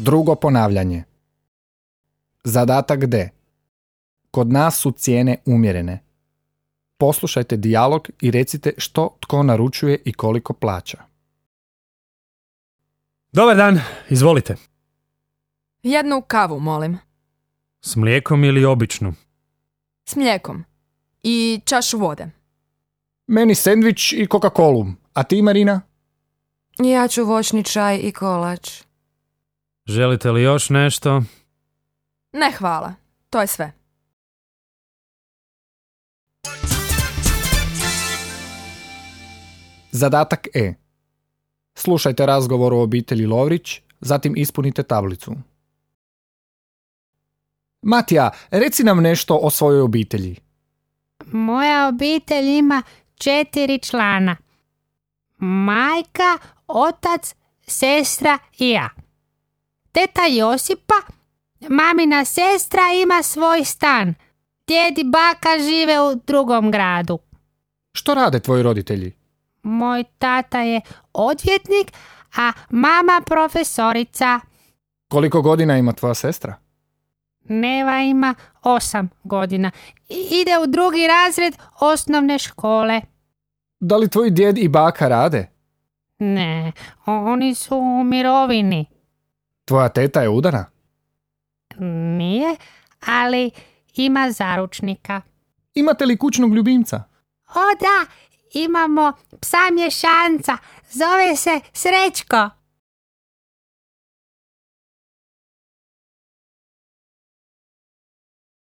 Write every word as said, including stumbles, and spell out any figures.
Drugo ponavljanje. Zadatak D. Kod nas su cijene umjerene. Poslušajte dijalog i recite što tko naručuje i koliko plaća. Dobar dan, izvolite. Jednu kavu, molim. S mlijekom ili običnu? S mlijekom. I čašu vode. Meni sendvič i Coca-Colu. A ti, Marina? Ja ću voćni čaj i kolač. Želite li još nešto? Ne, hvala. To je sve. Zadatak E. Slušajte razgovor o obitelji Lovrić, zatim ispunite tablicu. Matija, reci nam nešto o svojoj obitelji. Moja obitelj ima četiri člana. Majka, otac, sestra i ja. Teta Josipa, mamina sestra, ima svoj stan. Djed i baka žive u drugom gradu. Što rade tvoji roditelji? Moj tata je odvjetnik, a mama profesorica. Koliko godina ima tvoja sestra? Neva ima osam godina. Ide u drugi razred osnovne škole. Da li tvoji djed i baka rade? Ne, oni su u mirovini. Tvoja teta je udana? Nije, ali ima zaručnika. Imate li kućnog ljubimca? O da, imamo psa mješanca. Zove se Srećko.